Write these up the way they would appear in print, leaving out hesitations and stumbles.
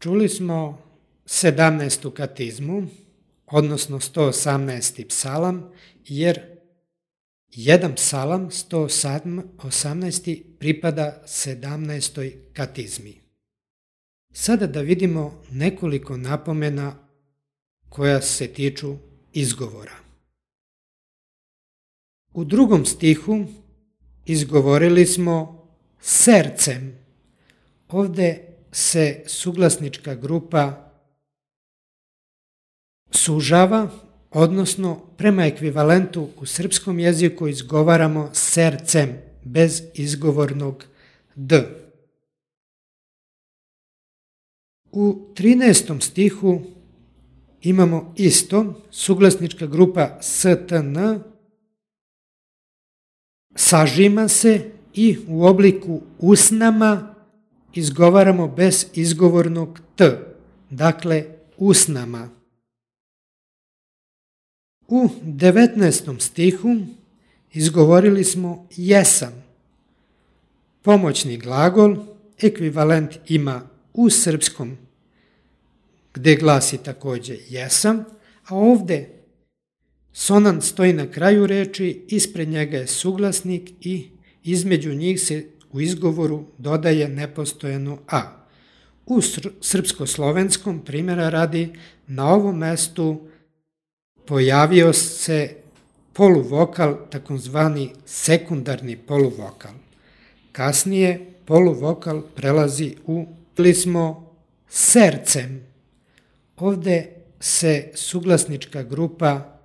Čuli smo 17. katizmu, odnosno 118. psalam, jer jedan psalam, 118. pripada 17. katizmi. Sada da vidimo nekoliko napomena koja se tiču izgovora. U drugom stihu izgovorili smo sercem. Ovde se suglasnička grupa sužava, odnosno prema ekvivalentu u srpskom jeziku izgovaramo sercem, bez izgovornog d. U 13. stihu imamo isto, suglasnička grupa stn sažima se i u obliku usnama izgovaramo bez izgovornog t, dakle usnama. U 19. stihu izgovorili smo jesam. Pomoćni glagol, ekvivalent ima u srpskom, gde glasi takođe jesam, a ovde sonant stoji na kraju reči, ispred njega je suglasnik i između njih se u izgovoru dodaje nepostojano a. U srpsko-slovenskom, primjera radi, na ovom mestu pojavio se poluvokal, takozvani sekundarni poluvokal. Kasnije poluvokal prelazi u smo sercem. Ovde se suglasnička grupa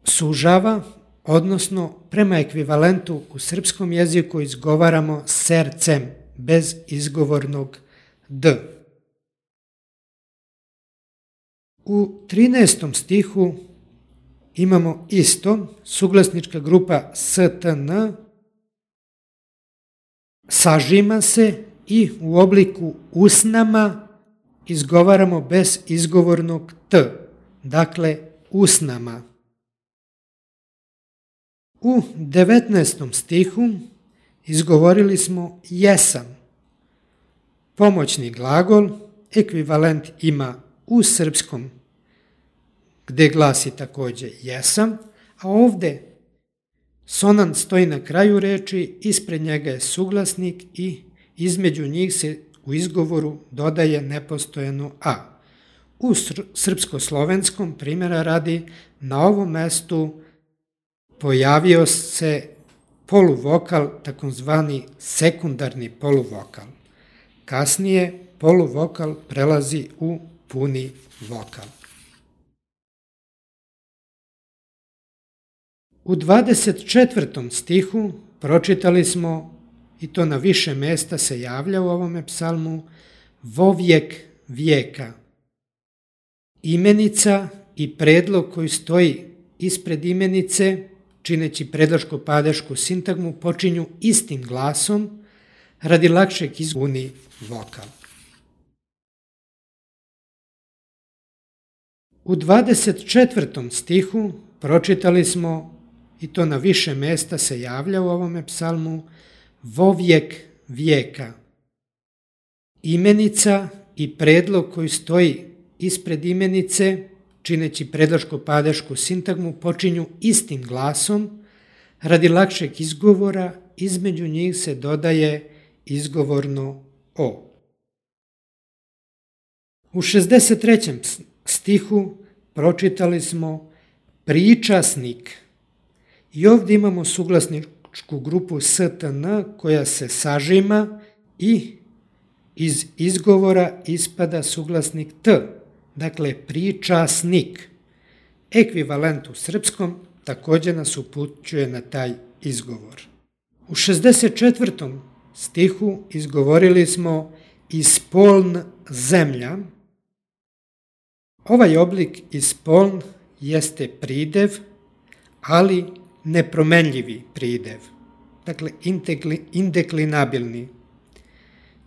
sužava, odnosno prema ekvivalentu u srpskom jeziku izgovaramo sercem, bez izgovornog d. U 13. stihu imamo isto, suglasnička grupa stn sažima se i u obliku usnama izgovaramo bez izgovornog t, dakle usnama. U 19. stihu izgovorili smo jesam. Pomoćni glagol, ekvivalent ima u srpskom, gde glasi takođe jesam, a ovde sonant stoji na kraju reči, ispred njega je suglasnik i između njih se u izgovoru dodaje nepostojano a. U srpsko-slovenskom, primjera radi, na ovom mestu pojavio se poluvokal, takozvani sekundarni poluvokal. Kasnije poluvokal prelazi u puni vokal. U 24. stihu pročitali smo, i to na više mesta se javlja u ovome psalmu, vovijek vijeka. Imenica i predlog koji stoji ispred imenice, čineći predloško-padešku sintagmu, počinju istim glasom radi lakšeg izguni vokal. U 24. stihu pročitali smo, i to na više mesta se javlja u ovome psalmu, vovijek vijeka. Imenica i predlog koji stoji ispred imenice, čineći predloško-padešku sintagmu, počinju istim glasom radi lakšeg izgovora, između njih se dodaje izgovorno o. U 63. stihu pročitali smo pričasnik i ovdje imamo suglasničku grupu stn koja se sažima i iz izgovora ispada suglasnik t, dakle pričasnik. Ekvivalent u srpskom također nas upućuje na taj izgovor. U 64. stihu izgovorili smo ispoln zemlja. Ovaj oblik ispoln jeste pridev, ali nepromenljivi pridev, dakle indeklinabilni.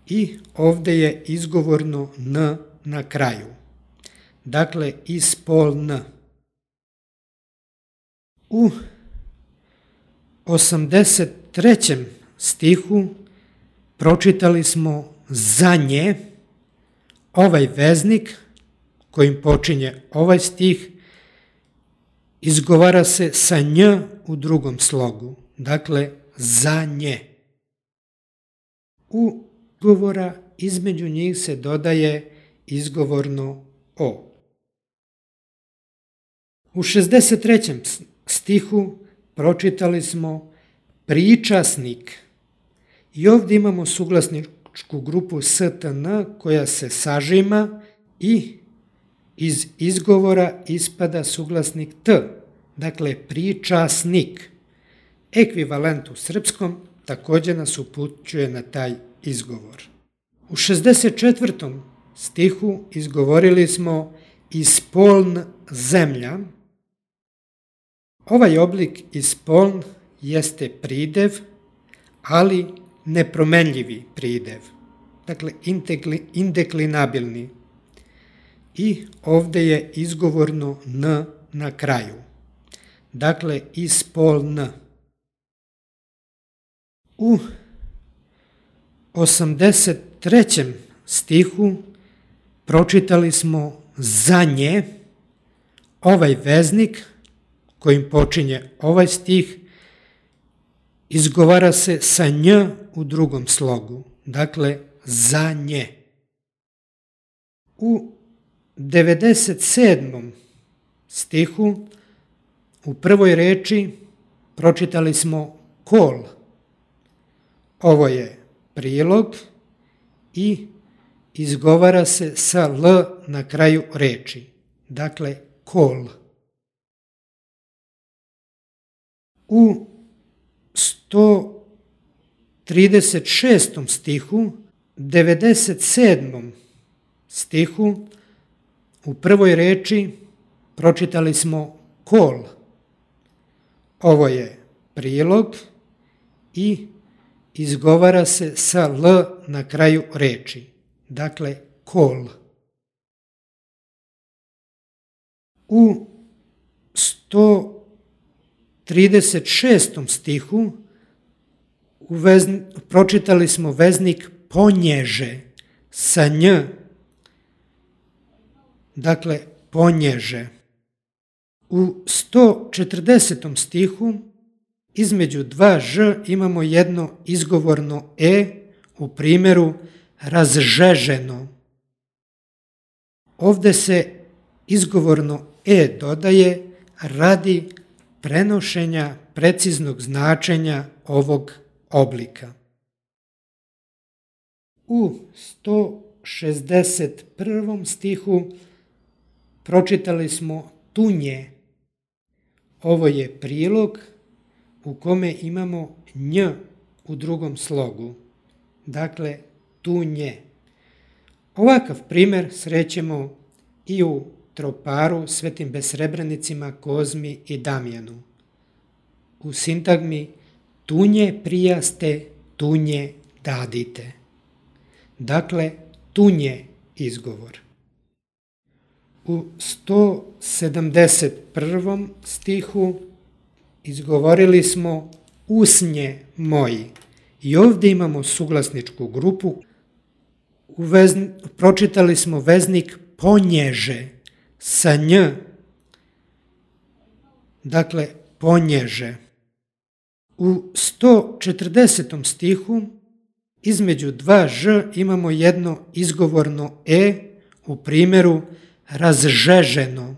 I ovde je izgovorno n na kraju, dakle ispoln. U 83. stihu pročitali smo za nje, Ovaj veznik kojim počinje ovaj stih izgovara se sa nj u drugom slogu, dakle za nje. U izgovora između njih se dodaje izgovorno o. U 63. stihu pročitali smo pričasnik i ovdje imamo suglasničku grupu stn koja se sažima i iz izgovora ispada suglasnik t, dakle pričasnik. Ekvivalent u srpskom također nas upućuje na taj izgovor. U 64. stihu izgovorili smo ispoln zemlja. Ovaj oblik ispoln jeste pridev, ali nepromenljivi pridev, dakle indeklinabilni. I ovdje je izgovorno n na kraju, dakle ispoln. U 83. stihu pročitali smo za nje. Ovaj veznik kojim počinje ovaj stih izgovara se sa nj u drugom slogu, dakle za nje. U 97. stihu u prvoj reči pročitali smo kol. Ovo je prilog i izgovara se sa l na kraju reči, dakle kol. U 136. stihu, 97. stihu, u prvoj reči pročitali smo kol. Ovo je prilog i izgovara se sa l na kraju reči, dakle kol. U 136. stihu pročitali smo veznik ponježe sa nj, dakle ponježe. U 140. stihu između dva ž imamo jedno izgovorno e u primjeru razžeženo. Ovdje se izgovorno e dodaje radi prenošenja preciznog značenja ovog oblika. U 161. stihu pročitali smo tunje. Ovo je prilog u kome imamo nj u drugom slogu, dakle tunje. Ovakav primjer srećemo i u troparu Svetim besrebrenicima Kozmi i Damjanu. U sintagmi tunje prijaste, tunje dadite. Dakle, tunje izgovor. U 171. stihu izgovorili smo usnje moji i ovdje imamo suglasničku grupu. Pročitali smo veznik ponježe sa nj, dakle ponježe. U 140. stihu između dva ž imamo jedno izgovorno e u primjeru razžeženo.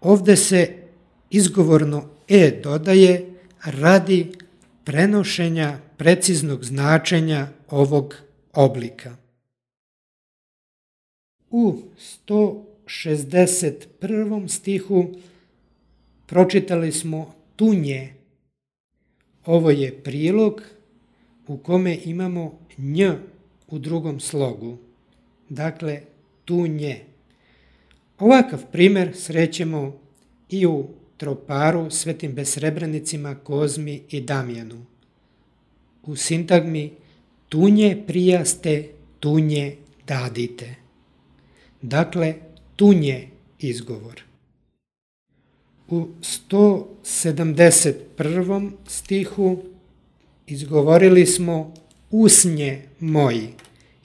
Ovdje se izgovorno e dodaje radi prenošenja preciznog značenja ovog oblika. U 161. stihu pročitali smo tunje. Ovo je prilog u kome imamo nj u drugom slogu, dakle tunje. Ovakav primjer srećemo i u troparu Svetim besrebrenicima Kozmi i Damjanu. U sintagmi tunje prijaste, tunje dadite. Dakle, tunje izgovor. U 171. stihu izgovorili smo usnje moji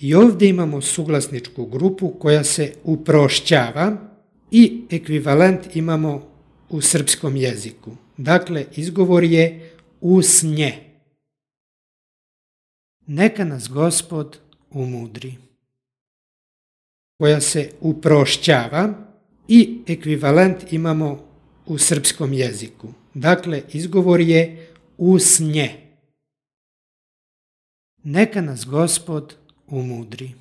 I ovdje imamo suglasničku grupu koja se uprošćava i ekvivalent imamo u srpskom jeziku. Dakle, izgovor je usnje. Neka nas Gospod umudri. Koja se uprošćava i ekvivalent imamo u srpskom jeziku. Dakle, izgovor je usnje. Neka nas Gospod umudri.